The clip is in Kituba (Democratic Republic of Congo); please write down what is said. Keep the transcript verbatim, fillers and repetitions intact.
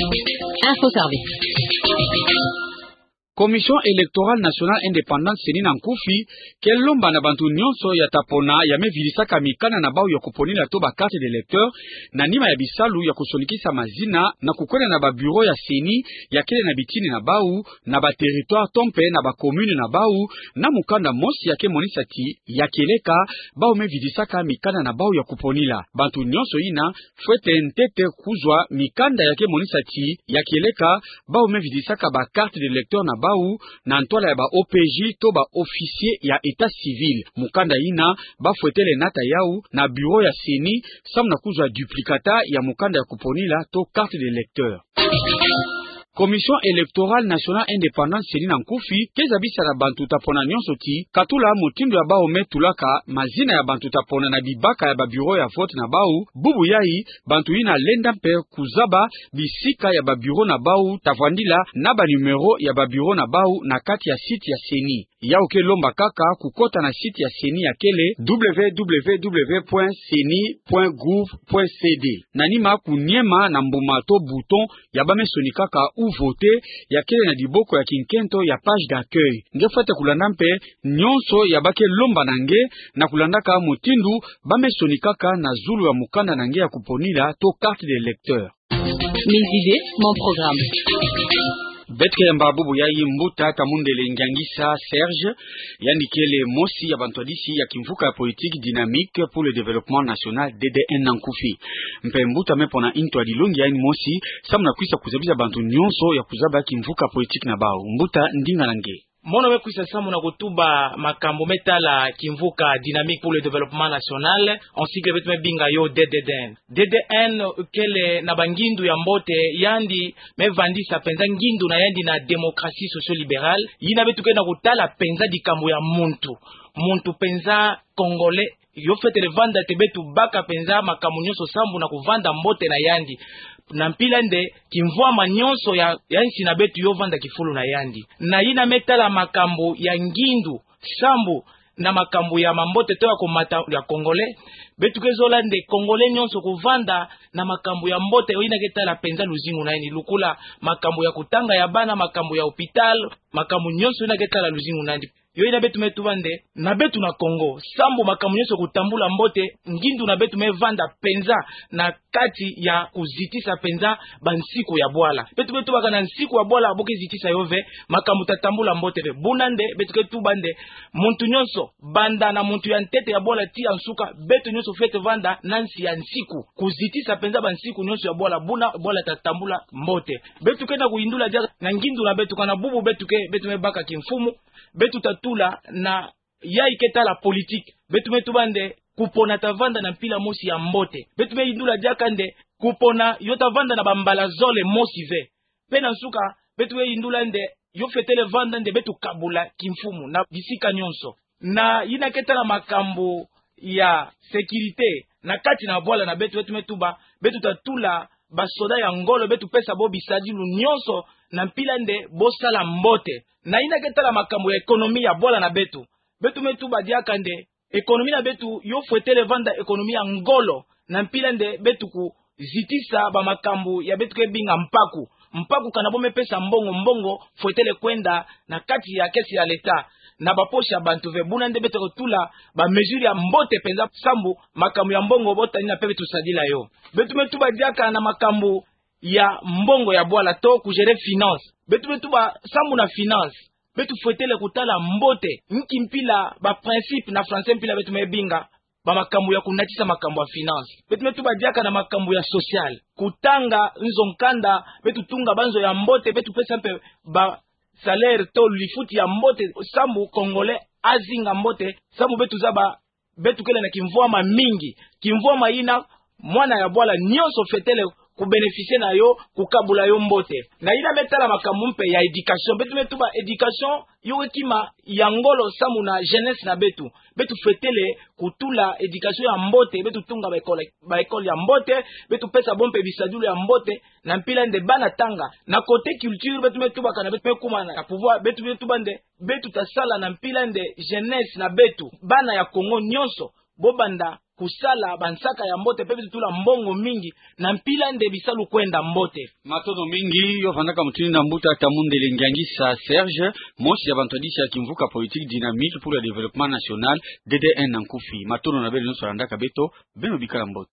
Info Service. Commission Électorale Nationale Indépendante, CENI, na nkufi ke lomba na bantu nyonso ya ta pona ya me vidisaka mikanda na bau ya kuponila to ba carte d'électeur na nima ya bisalu ya kusonikisa mazina na kukwenda na ba bureau ya CENI ya kele na bitini na bau, na ba territoire to mpe na ba commune na bau, na mukanda mosi ya ke monisa ti ya kieleka bau me vidisaka mikanda na bau ya kuponila. Bantu nyonso yina fwete ntete kuzwa mikanda ya ke monisa ti ya kieleka bau me vidisaka ba carte d'électeur na bau na ntwala ya ba OPJ to ba officier ya état civil. Mukanda yina bafwetele nata yau na bureau ya CENI samu na kuzwa duplicata ya mukanda ya kuponila to carte d'électeur. Commission Électorale Nationale Indépendante, CENI, na nkufi ke zabisa na bantu ta pona nyonso ti katula mutindu ya bau me tulaka mazina ya bantu ta pona na bibaka ya ba bureau ya vote na bau, bubu yai bantu yina lenda mpe kuzaba bisika ya ba bureau na bau ta vandila na ba numéro ya ba bureau na bau na kati ya site ya CENI. Yau ke lomba kaka kukota na site ya CENI ya kele www point ceni point gouv point cd. Na nima kuniema na mbuma to bouton ya ba me sonikaka ou voter ya kele na diboko ya kinkento ya page d'accueil. Nge fwete kulanda mpe nyonso ya ba ke lomba na nge na kulandaka mutindu ba me sonikaka na zulu ya mukanda na nge ya kuponila to carte d'électeur. Mes idées, mon programme. Beto ke yamba bubu yai mbuta Tamundele Ngiangisa Serge, yandi kele mosi ya bantwadisi ya kimvuka ya politique Dynamique pour le Développement National, D D N na nkufi. Mpe mbuta me pona ntwadi longi ya yandi mosi samu na kwisa kuzabisa bantu nyonso ya kuzaba kimvuka politique na bau. Mbuta, ndinga na nge. Mono me kwisa samu na kutuba makambu me tala kimvuka Dynamique pour le Développement National, en sigle beto me binga yo D D N. D D N kele na bangindu ya mbote, yandi me vandisa penza ngindu na yandi na démocratie socio-libérale, yina beto ke na kutala penza dikambu ya muntu. Muntu penza Congolais, yo fwetele vanda te beto baka penza makambu nyonso sambu na kuvanda mbote na yandi. Na mpila nde kimvwama nyonso ya, ya nsi na beto yo vanda kifulu na yandi. Na yina me tala makambu ya ngindu sambu na makambu ya mambote to ya komata ya Congolais, beto ke zola nde Congolais nyonso kuvanda na makambu ya mbote, yo yina ke tala penza luzingu na yandi, lukula makambu ya kutanga ya bana, makambu ya hôpital, makambu nyonso yina ke tala luzingu na yandi. Yo yina beto me tuba nde, na beto na Congo, sambu makambu nyonso kutambula mbote, ngindu na beto me vanda penza na kati ya kuzitisa penza bansiku ya bwala. Beto me tubaka na nsiku ya bwala bo ke zitisa yo ve, makambu ta tambula mbote ve. Buna nde beto ke tuba nde, muntu nyonso, banda na muntu ya ntete ya bwala ti ya nsuka, beto nyonso fwete vanda na nsi ya nsiku, kuzitisa penza bansiku nyonso ya bwala, buna bwala ta tambula mbote. Beto ke na kuyindula diaka na ngindu na beto kana bubu beto ke, beto me baka kimfumu, beto ta tula na yai ke tala politique. Beto me tuba nde kupona ta vanda na mpila mosi ya mbote. Beto me yindula diaka nde kupona yo ta vanda na bambala zole mosi ve. Mpe na nsuka, beto me yindula nde yo fwetele vanda nde beto kabula kimfumu na bisika nyonso. Na yina ke tala makambu ya sécurité na kati na bwala na beto, beto me tuba, beto ta tula basoda ya ngolo, beto pesa bo bisadilu nyonso na mpila nde bo sala mbote. Na yina ke tala makambu ya économie ya bwala na beto, beto me tuba diaka nde économie na beto yo fwetele vanda économie ya ngolo, na mpila nde beto kuzitisa bamakambu ya beto ke binga mpaku. Mpaku kana bo me pesa mbongo, mbongo fwetele kwenda na kati ya caisse ya l'État, na bapoche ya bantu ve. Buna nde beto kutula bamesure ya mbote penza sambu makambu ya mbongo bo tani na mpe beto sadila yo. Beto me tuba diaka na makambu ya mbongo ya bwala to kugérer finance. Beto me tuba sambu na finance, beto fwetele kutala mbote nki mpila, baprincipe na français mpila beto me binga, bamakambu ya kunatisa makambu ya finance. Beto me tuba diaka na makambu ya social, kutanga nzo nkanda, beto tunga banzo ya mbote, beto pesa mpe basalaire to lifuti ya mbote, sambu Congolais azinga mbote, sambu beto zaba beto kele na kimvwama mingi. Kimvwama yina mwana ya bwala nyonso fwetele kubénéficier na yo, kukabula yo mbote. Na yina me tala makambu mpe ya éducation. Beto me tuba éducation yo ke kima ya ngolo sambu na jeunesse na beto. Beto fwetele kutula éducation ya mbote, beto tunga ba école, ba école ya mbote, beto pesa bo mpe bisadilu ya mbote, na mpila nde bana tanga. Na côté culture, beto me tuba kana beto me kuma na pouvoir, beto me tuba nde beto ta sala na mpila nde jeunesse na beto, bana ya Congo nyonso, bo banda kusala bansaka ya mbote, mpe beto tula mbongo mingi na mpila nde bisalu kwenda mbote. Matondo mingi, yo vandaka mutindu yina mbuta Tamundele Ngiangisa Serge, mosi ya bantwadisi ya kimvuka politique Dynamique pour le Développement National, D D N na nkufi. Matondo na beno nyonso landaka beto, beno bikala mbote.